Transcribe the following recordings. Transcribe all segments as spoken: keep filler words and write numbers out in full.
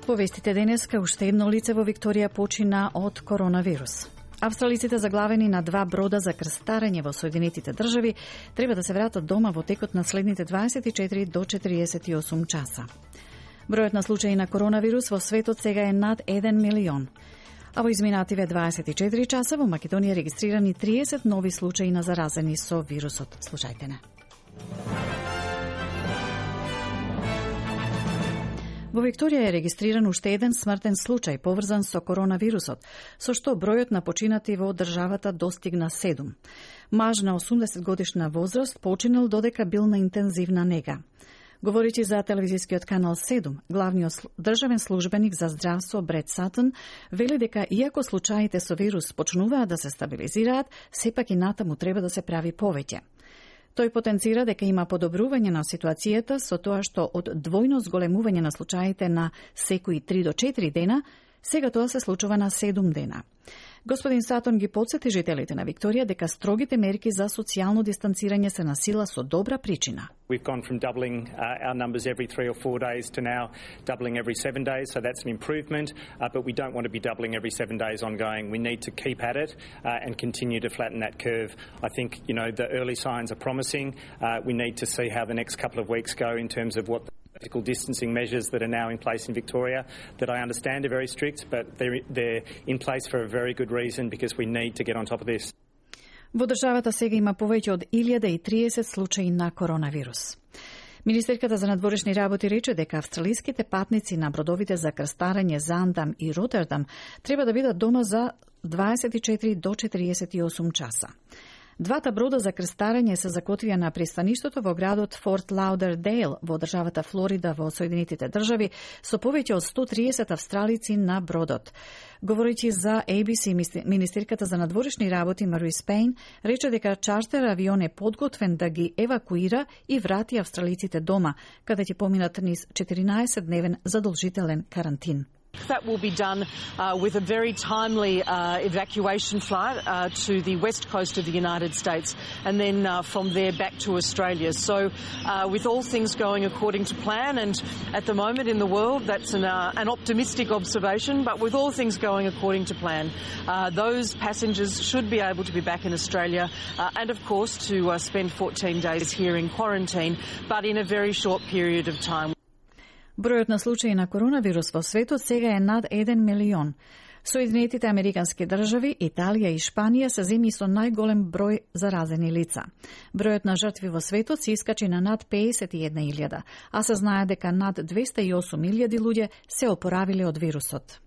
По вестите денеска, уште едно лице во Викторија почина од коронавирус. Австралиците заглавени на два брода за крстарење во Соединетите држави треба да се вратат дома во текот на следните дваесет и четири до четириесет и осум часа. Бројот на случаи на коронавирус во светот сега е над еден милион. А во изминативе дваесет и четири часа во Македонија регистрирани триесет нови случаи на заразени со вирусот. Слушајте не. Во Викторија е регистриран уште еден смртен случај поврзан со коронавирусот, со што бројот на починати во државата достигна седум. Маж на осумдесет годишна возраст починал додека бил на интензивна нега. Говоричи за телевизискиот канал седум, главниот државен службеник за здравство Брет Сатон вели дека иако случаите со вирус почнуваат да се стабилизираат, сепак и натаму треба да се прави повеќе. Тој потенцира дека има подобрување на ситуацијата со тоа што од двојно зголемување на случаите на секои три до четири дена, сега тоа се случува на седум дена. Господин Сатон ги потсети жителите на Викторија дека строгите мерки за социјално дистанцирање се на сила со добра причина. We've gone from doubling uh, our numbers every three or four days to now doubling every seven days, so that's an improvement, uh, but we don't want to be doubling every seven days ongoing. We need to keep at it uh, and continue to flatten that curve. I think, you know, the early signs are promising. Uh, we need to see how the next couple of weeks go in terms of what the physical distancing measures that are now in place in Victoria, that I understand are very strict, but they're, they're in place for a very good reason because we need to get on top of this. Во државата сега има повеќе од илјада и триесет случаи на коронавирус. Министерката за надворешни работи рече дека австралиските патници на бродовите за крстарење Заандам и Ротердам треба да бидат дома за дваесет и четири до четириесет и осум часа. Двата брода за крстарење се закотвија на пристаништото во градот Форт Лаудердейл во државата Флорида во Соединетите држави со повеќе од сто триесет австралици на бродот. Говорејќи за Ей Би Си, министерката за надворешни работи Маруис Пейн рече дека чартер авион е подготвен да ги евакуира и врати австралиците дома, каде ќе поминат низ четиринаесет дневен задолжителен карантин. That will be done uh, with a very timely uh, evacuation flight uh, to the west coast of the United States and then uh, from there back to Australia. So uh, with all things going according to plan, and at the moment in the world that's an, uh, an optimistic observation, but with all things going according to plan, uh, those passengers should be able to be back in Australia uh, and of course to uh, spend fourteen days here in quarantine, but in a very short period of time. Бројот на случаи на коронавирус во светот сега е над еден милион. Соединетите Американски држави, Италија и Шпанија се земји со најголем број заразени лица. Бројот на жртви во светот се искачи на над пеесет и една илјада, а се знае дека над двесте и осум илјади луѓе се опоравиле од вирусот.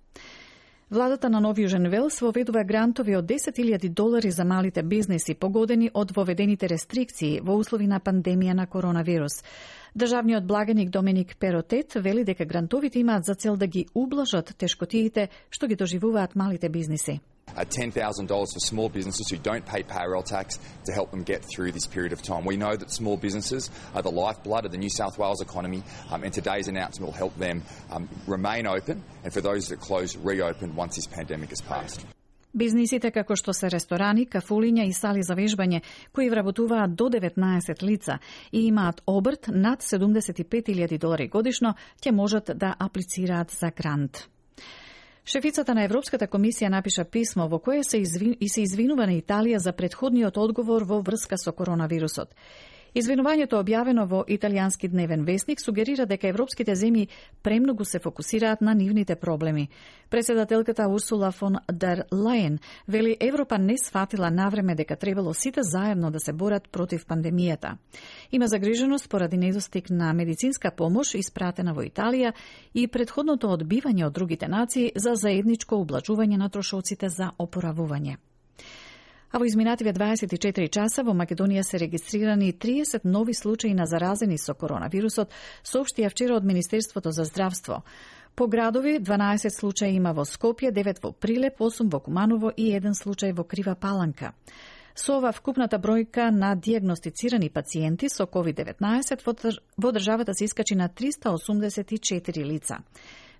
Владата на Нов Јужен Велс воведува грантови од десет илјади долари за малите бизнеси погодени од воведените рестрикции во услови на пандемија на коронавирус. Државниот благаник Доминик Перотет вели дека грантовите имаат за цел да ги ублажат тешкотиите што ги доживуваат малите бизнеси. Uh, ten thousand dollars for small businesses who don't pay payroll tax to help them get through this period of time. We know that small businesses are the lifeblood of the New South Wales economy, um, and today's announcement will help them um, remain open, and for those that close, reopen once this pandemic has passed. Бизнисите како што се ресторани, кафулиња и сали за вежбање, кои вработуваат до деветнаесет лица и имаат обрт над седумдесет и пет илјади долари годишно, ќе можат да аплицираат за грант. Шефицата на Европската комисија напиша писмо во кое се извин... и се извинува на Италија за претходниот одговор во врска со коронавирусот. Извинувањето објавено во италијански дневен вестник сугерира дека европските земји премногу се фокусираат на нивните проблеми. Председателката Урсула фон дер Лајен вели Европа не сфатила навреме дека требало сите заедно да се борат против пандемијата. Има загриженост поради недостиг на медицинска помош испратена во Италија и претходното одбивање од другите нации за заедничко ублажување на трошоците за опоравување. А во изминативе дваесет и четири часа во Македонија се регистрирани триесет нови случаи на заразени со коронавирусот, соопштија вчера од Министерството за здравство. По градови дванаесет случаи има во Скопје, девет во Прилеп, осум во Куманово и еден случај во Крива Паланка. Со ова вкупната бројка на дијагностицирани пациенти со ковид деветнаесет во државата се искачи на триста осумдесет и четири лица.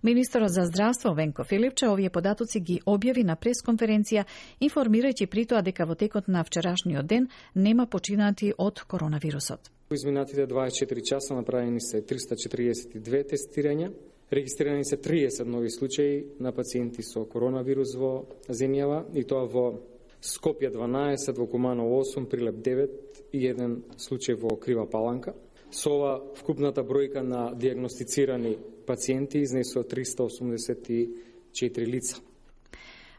Министерот за здравство Венко Филипче овие податоци ги објави на пресконференција, информирајќи при тоа дека во текот на вчерашниот ден нема починати од коронавирусот. Во изминатите дваесет и четири часа направени се триста четиридесет и две тестирања Регистрирани се триесет нови случаи на пациенти со коронавирус во земјава, и тоа во Скопје дванаесет, во Куманово осум, Прилеп девет и еден случај во Крива Паланка. Со ова вкупната бројка на диагностицирани пациенти изнесува триста осумдесет и четири лица.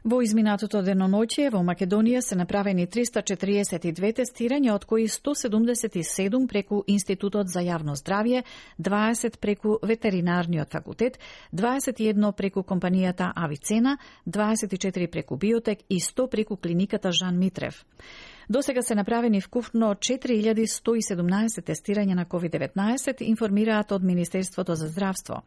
Во изминатото деноноќие во Македонија се направени триста четириесет и две тестирања, од кои сто седумдесет и седум преку Институтот за јавно здравје, дваесет преку Ветеринарниот факултет, дваесет и едно преку компанијата Авицена, дваесет и четири преку Биотек и сто преку клиниката Жан Митрев. До сега се направени вкупно четири илјади сто и седумнаесет тестирања на ковид деветнаесет, информираат од Министерството за здравство.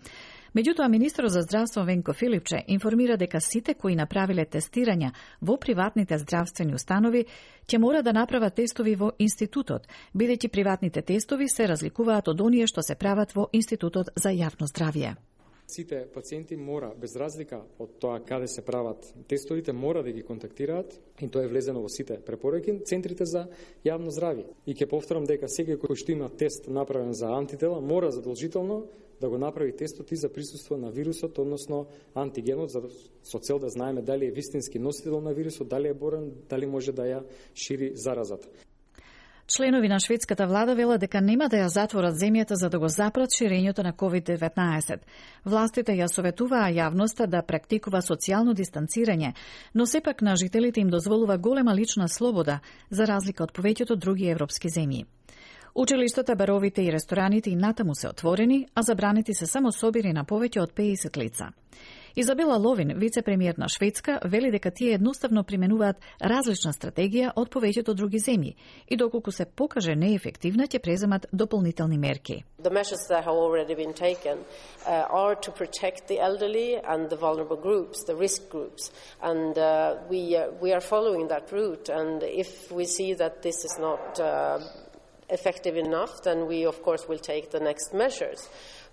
Меѓутоа, министерот за здравство Венко Филипче информира дека сите кои направиле тестирања во приватните здравствени установи ќе мора да направат тестови во институтот, бидејќи приватните тестови се разликуваат од оние што се прават во Институтот за јавно здравје. Сите пациенти мора, без разлика од тоа каде се прават тестовите, мора да ги контактираат, и тоа е влезено во сите препораки, центрите за јавно здравје. И ќе повторам дека секој кој што има тест направен за антитела, мора задолжително да го направи тестот и за присуство на вирусот, односно антигенот, за, со цел да знаеме дали е вистински носител на вирусот, дали е борен, дали може да ја шири заразата. Членови на шведската влада велат дека нема да ја затворат земјата за да го запрат ширењето на ковид деветнаесет. Властите ја советуваа јавноста да практикува социјално дистанцирање, но сепак на жителите им дозволува голема лична слобода, за разлика од повеќето други европски земји. Училиштата, баровите и рестораните и натаму се отворени, а забранети се само собири на повеќе од педесет лица. Изабела Ловин, вице-премиер на Шведска, вели дека тие едноставно применуваат различна стратегија од повеќето други земји и доколку се покаже неефективна, ќе преземат дополнителни мерки. The measures that have already been taken uh, are to protect the elderly and the vulnerable groups, the risk groups, and uh, we uh, we are following that route. And if we see that this is not uh, effective enough, then we of course will take the next measures.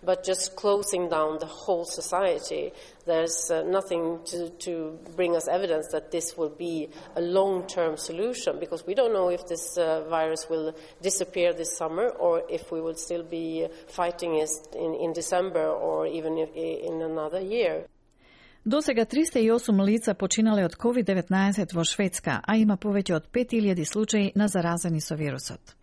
But just closing down the whole society, there's uh, nothing to, to bring us evidence that this will be a long-term solution, because we don't know if this uh, virus will disappear this summer or if we will still be fighting it in, in December or even if, in another year. До сега триста и осум лица починале од ковид деветнаесет во Шведска, а има повеќе од пет илјади случаи на заразени со вирусот.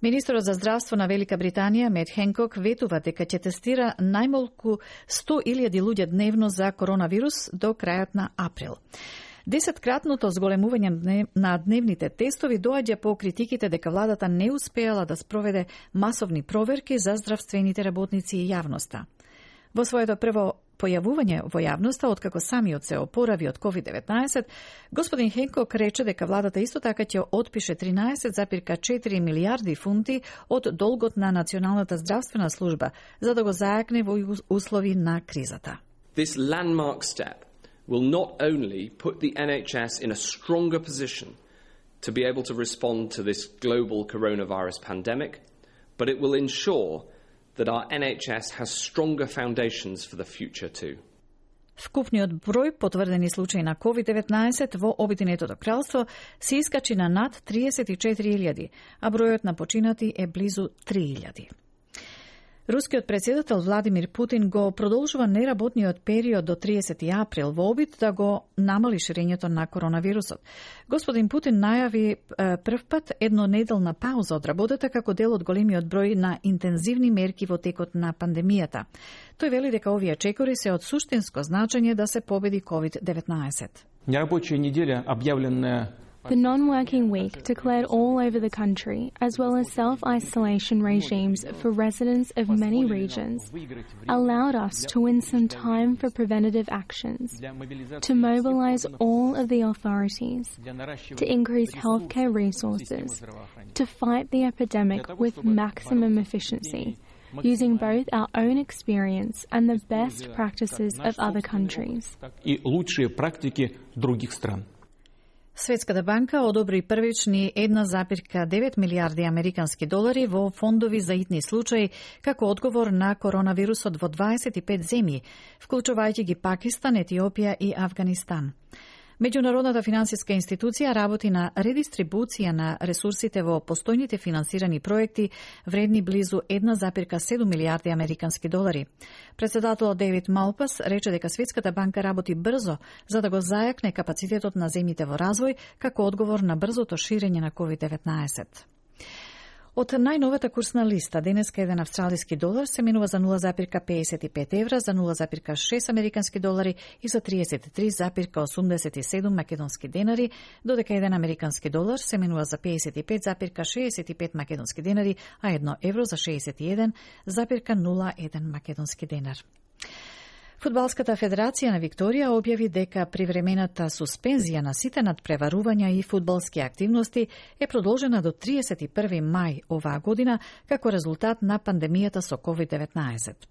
Министерот за здравство на Велика Британија, Мет Хенкок, ветува дека ќе тестира најмалку сто илјади луѓе дневно за коронавирус до крајот на април. Десеткратното зголемување на дневните тестови доаѓа по критиките дека владата не успеала да спроведе масовни проверки за здравствените работници и јавноста. Во своето прво појавување во јавноста, откако самиот се опорави од ковид деветнаесет, господин Хенкок рече дека владата исто така ќе отпише тринаесет запирка четири милијарди фунти од долгот на Националната здравствена служба за да го зајакне во услови на кризата. This landmark step will not only put the N H S in a stronger position to be able to respond to this global coronavirus pandemic, but it will ensure that our N H S has stronger foundations for the future too. Вкупниот број потврдени случаи на ковид деветнаесет во Обединетото кралство се искачи на над триесет и четири илјади, а бројот на починати е близу три илјади. Рускиот председател Владимир Путин го продолжува неработниот период до триесети април во обид да го намали ширењето на коронавирусот. Господин Путин најави првпат еднонеделна пауза од работата како дел од големиот број на интензивни мерки во текот на пандемијата. Тој вели дека овие чекори се од суштинско значење да се победи ковид деветнаесет. Нерабочая неделя, објавленая The non-working week declared all over the country, as well as self-isolation regimes for residents of many regions, allowed us to win some time for preventative actions, to mobilize all of the authorities, to increase healthcare resources, to fight the epidemic with maximum efficiency, using both our own experience and the best practices of other countries. И лучшие практики других стран. Светската банка одобри првични една запирка девет милијарди американски долари во фондови за итни случаи како одговор на коронавирусот во дваесет и пет земји, вклучувајќи ги Пакистан, Етиопија и Авганистан. Меѓународната финансиска институција работи на редистрибуција на ресурсите во постојните финансирани проекти вредни близу една зарез седум милијарди американски долари. Председателот Дейвид Малпас рече дека Светската банка работи брзо за да го зајакне капацитетот на земјите во развој како одговор на брзото ширење на ковид деветнаесет. Од најновата курсна листа, денеска еден австралиски долар се менува за нула зарез педесет и пет евра, за нула зарез шест американски долари и за триесет и три зарез осумдесет и седум македонски денари, додека еден американски долар се менува за педесет и пет зарез шеесет и пет македонски денари, а едно евро за шеесет и еден зарез нула еден македонски денар. Фудбалската федерација на Викторија објави дека привремената суспензија на сите надпреварувања и фудбалски активности е продолжена до триесет и први мај оваа година како резултат на пандемијата со ковид деветнаесет.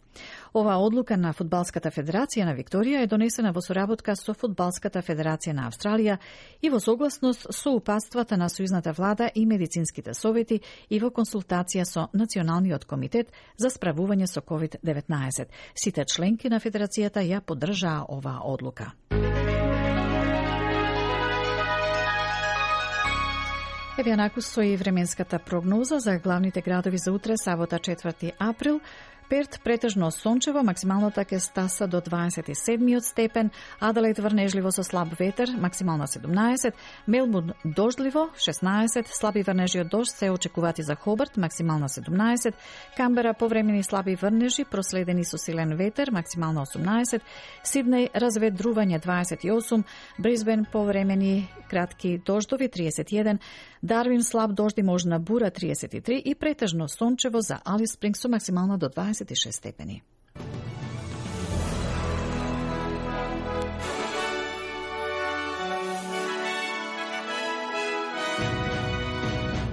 Оваа одлука на Фудбалската федерација на Викторија е донесена во соработка со Фудбалската федерација на Австралија и во согласност со упатствата на сојузната влада и медицинските совети и во консултација со Националниот комитет за справување со ковид деветнаесет. Сите членки на федерацијата ја поддржаа оваа одлука. Еве анаку со и временската прогноза за главните градови за утре, сабота четврти април. Перт претежно сончево, максималната ќе стаса до дваесет и седмиот степен, Аделаид врнежливо со слаб ветер, максимална седумнаесет, Мелбурн дождливо, шеснаесет, слаби врнежи од дожд се очекувати за Хобарт, максимална седумнаесет, Камбера повремени слаби врнежи, проследени со силен ветер, максимална осумнаесет, Сиднеј разведрување дваесет и осум, Брисбен повремени кратки дождови триесет и еден, Дарвин слаб дожд и можна бура триесет и три и претежно сончево за Алис Спрингс со максимална до дваесет и шест степени.